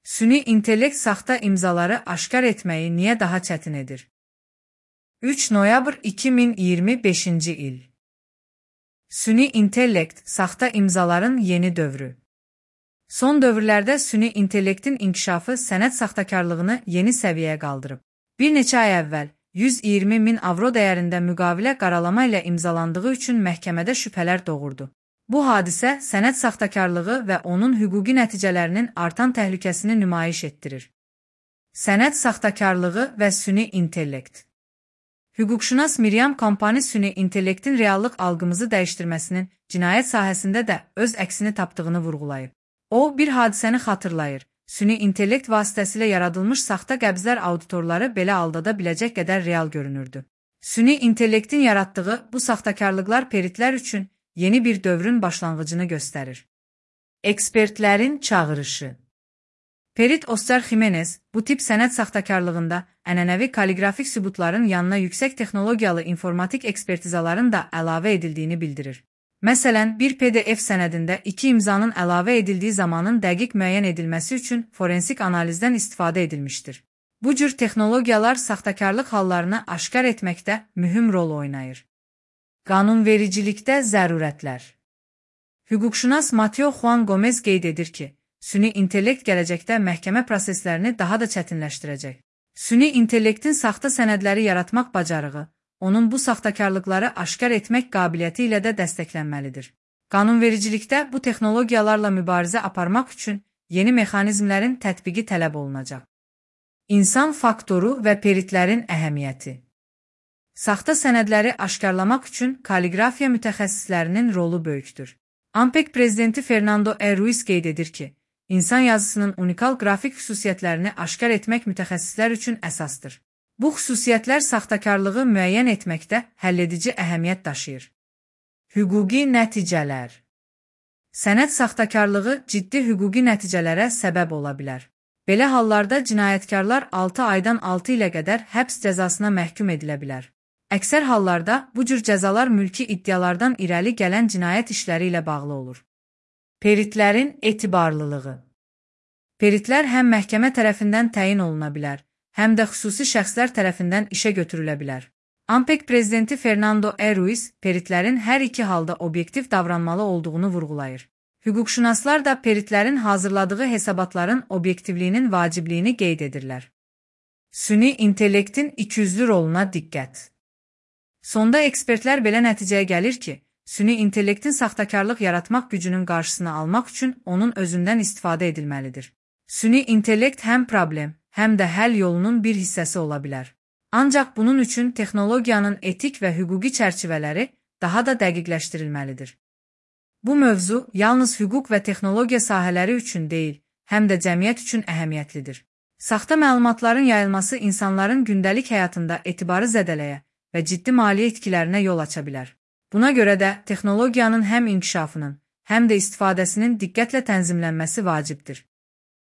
Süni intellekt saxta imzaları aşkar etməyi niyə daha çətin edir? 3 noyabr 2025-ci il. Süni intellekt saxta imzaların yeni dövrü. Son dövrlərdə süni intellektin inkişafı sənəd saxtakarlığını yeni səviyyəyə qaldırıb. Bir neçə ay əvvəl 120 min avro dəyərində müqavilə qaralama ilə imzalandığı üçün məhkəmədə şübhələr doğurdu. Bu hadisə sənəd saxtakarlığı və onun hüquqi nəticələrinin artan təhlükəsini nümayiş etdirir. Sənəd saxtakarlığı və süni intellekt. Hüquqşünas Miriam Kompani süni intellektin reallıq algımızı dəyişdirməsinin cinayət sahəsində də öz əksini tapdığını vurğulayıb. O, bir hadisəni xatırlayır. Süni intellekt vasitəsilə yaradılmış saxta qəbzlər auditorları belə aldada biləcək qədər real görünürdü. Süni intellektin yaratdığı bu saxtakarlıqlar peritlər üçün yeni bir dövrün başlanğıcını göstərir. Ekspertlərin çağırışı. Perit Oscar Jimenez bu tip sənəd saxtakarlığında ənənəvi kaliqrafik sübutların yanına yüksək texnologiyalı informatik ekspertizaların da əlavə edildiyini bildirir. Məsələn, bir PDF sənədində 2 imzanın əlavə edildiyi zamanın dəqiq müəyyən edilməsi üçün forensik analizdən istifadə edilmişdir. Bu cür texnologiyalar saxtakarlıq hallarını aşkar etməkdə mühüm rol oynayır. Qanunvericilikdə zərurətlər. Hüquqşünas Mateo Juan Gomez qeyd edir ki, süni intellekt gələcəkdə məhkəmə proseslərini daha da çətinləşdirəcək. Süni intellektin saxta sənədləri yaratmaq bacarığı, onun bu saxtakarlıqları aşkar etmək qabiliyyəti ilə də dəstəklənməlidir. Qanunvericilikdə bu texnologiyalarla mübarizə aparmaq üçün yeni mexanizmlərin tətbiqi tələb olunacaq. İnsan faktoru və peritlərin əhəmiyyəti. Saxta sənədləri aşkarlamaq üçün kaliqrafiya mütəxəssislərinin rolu böyükdür. ANPEC prezidenti Fernando E. Ruiz qeyd edir ki, insan yazısının unikal qrafik xüsusiyyətlərini aşkar etmək mütəxəssislər üçün əsasdır. Bu xüsusiyyətlər saxtakarlığı müəyyən etməkdə həlledici əhəmiyyət daşıyır. Hüquqi nəticələr. Sənəd saxtakarlığı ciddi hüquqi nəticələrə səbəb ola bilər. Belə hallarda cinayətkarlar 6 aydan 6 ilə qədər həbs cəzasına məhkum edilə bilər. Əksər hallarda bu cür cəzalar mülki iddialardan irəli gələn cinayət işləri ilə bağlı olur. Peritlərin etibarlılığı. Peritlər həm məhkəmə tərəfindən təyin oluna bilər, həm də xüsusi şəxslər tərəfindən işə götürülə bilər. ANPEC prezidenti Fernando E. Ruiz, peritlərin hər iki halda obyektiv davranmalı olduğunu vurğulayır. Hüquqşünaslar da peritlərin hazırladığı hesabatların obyektivliyinin vacibliyini qeyd edirlər. Süni intellektin ikiyüzlü roluna diqqət. Sonda ekspertlər belə nəticəyə gəlir ki, süni intellektin saxtakarlıq yaratmaq gücünün qarşısını almaq üçün onun özündən istifadə edilməlidir. Süni intellekt həm problem, həm də həll yolunun bir hissəsi ola bilər. Ancaq bunun üçün texnologiyanın etik və hüquqi çərçivələri daha da dəqiqləşdirilməlidir. Bu mövzu yalnız hüquq və texnologiya sahələri üçün deyil, həm də cəmiyyət üçün əhəmiyyətlidir. Saxta məlumatların yayılması insanların gündəlik həyatında etibarı zədələyə və ciddi maliyyə itkilərinə yol aça bilər. Buna görə də texnologiyanın həm inkişafının, həm də istifadəsinin diqqətlə tənzimlənməsi vacibdir.